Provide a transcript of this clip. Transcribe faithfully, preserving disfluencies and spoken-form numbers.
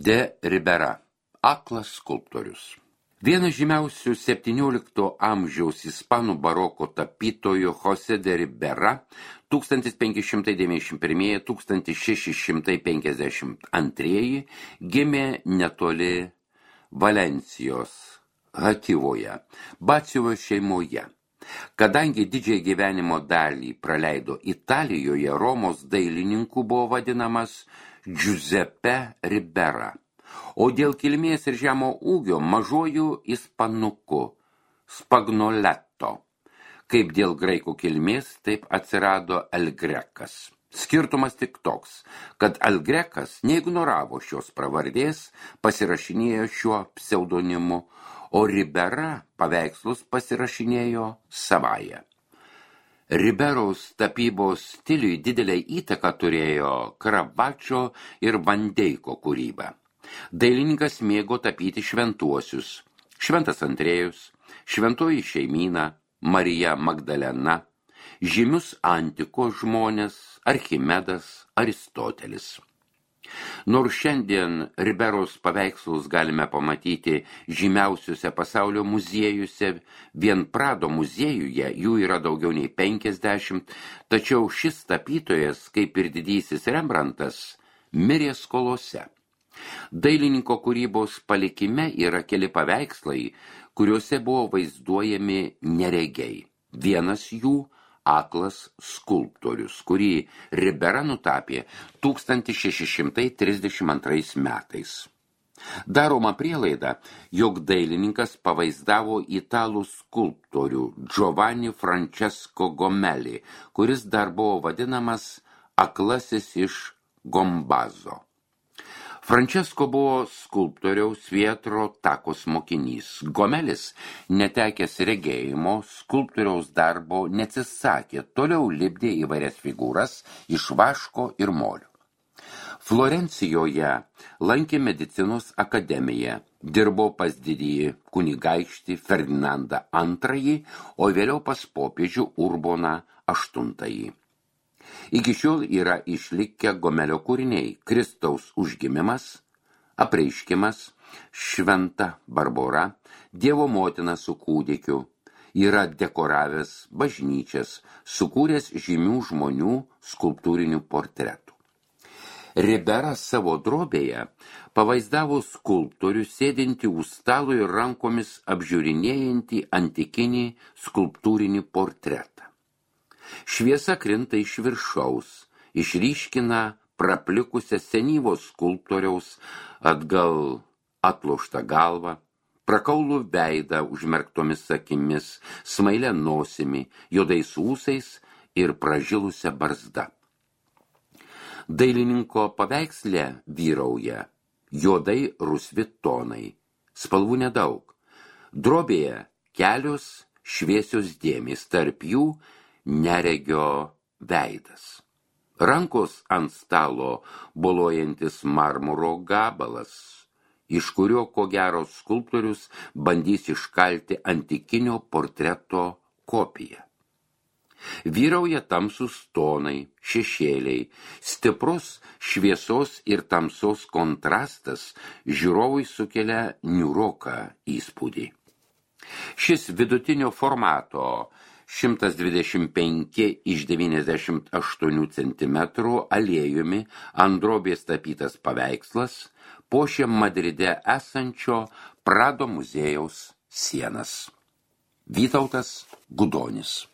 De Ribera, aklas skulptorius. Vienas žymiausių septyniolikto amžiaus ispanų baroko tapytojų José de Ribera tūkstantis penki šimtai devyniasdešimt pirmi - tūkstantis šeši šimtai penkiasdešimt antri gimė netoli Valencijos, Hativoje, Batsiuvio šeimoje. Kadangi didžiąją gyvenimo dalį praleido Italijoje, Romos dailininku buvo vadinamas Giuseppe Ribera, o dėl kilmės ir žemo ūgio mažuoju ispanuku Spagnoletto. Kaip dėl graikų kilmės, taip atsirado El Grekas. Skirtumas tik toks, kad El Grekas neignoravo šios pravardės, pasirašinėjo šiuo pseudonimu, o Ribera paveikslus pasirašinėjo savaja. Riberos tapybos stiliui didelę įtaką turėjo Caravaggio ir Van Dyko kūryba. Dailininkas mėgo tapyti šventuosius: Šventas Andrėjus, Šventoji šeimyna, Marija Magdalena, žymius antikos žmonės, Archimedas, Aristotelis. Nors šiandien Riberos paveikslus galime pamatyti žymiausiuose pasaulio muziejuose, vien Prado muziejuje jų yra daugiau nei penkiasdešimt, tačiau šis tapytojas, kaip ir didysis Rembrandtas, mirė skolose. Dailininko kūrybos palikime yra keli paveikslai, kuriuose buvo vaizduojami neregiai. Vienas jų aklas skulptorius, kurį Ribera nutapė tūkstantis šeši šimtai trisdešimt antrais metais. Daroma prielaida, jog dailininkas pavaizdavo italų skulptorių Giovanni Francesco Gomelli, kuris dar buvo vadinamas aklasis iš Gombazo. Francesco buvo skulptoriaus Pietro Takos mokinys. Gomelis, netekęs regėjimo, skulptoriaus darbo neatsisakė, toliau lipdė įvairias figūras iš vaško ir molio. Florencijoje lankė medicinos akademiją, dirbo pas didįjį kunigaikštį Ferdinandą antrąjį, o vėliau pas popiežių Urboną aštuntąjį. Iki šiol yra išlikę Gomelio kūriniai: Kristaus užgimimas, Apreiškimas, Šventa Barbora, Dievo motina su kūdikiu. Yra dekoravęs bažnyčias, sukūręs žymių žmonių skulptūrinių portretų. Ribera savo drobėje pavaizdavo skulptorių sėdintį už stalo ir rankomis apžiūrinėjantį antikinį skulptūrinį portretą. Šviesa krinta iš viršaus, išryškina praplikusią senyvos skulptoriaus atgal atloštą galvą, prakaulų veidą užmerktomis akimis, smailę nosimi, juodais ūsais ir pražilusią barzdą. Dailininko paveiksle vyrauja juodai rusvi tonai, spalvų nedaug. Drobėje kelios šviesios dėmės, tarp jų neregio veidas. Rankos ant stalo boluojantis marmuro gabalas, iš kurio ko gero skulptorius bandys iškalti antikinio portreto kopiją. Vyrauja tamsūs tonai, šešėliai, stiprus šviesos ir tamsos kontrastas žiūrovui sukelia niūroką įspūdį. Šis vidutinio formato šimtas dvidešimt penki iš devyniasdešimt aštuonių centimetrų aliejumi ant drobės tapytas paveikslas puošia Madride esančio Prado muziejaus sienas. Vytautas Gudonis.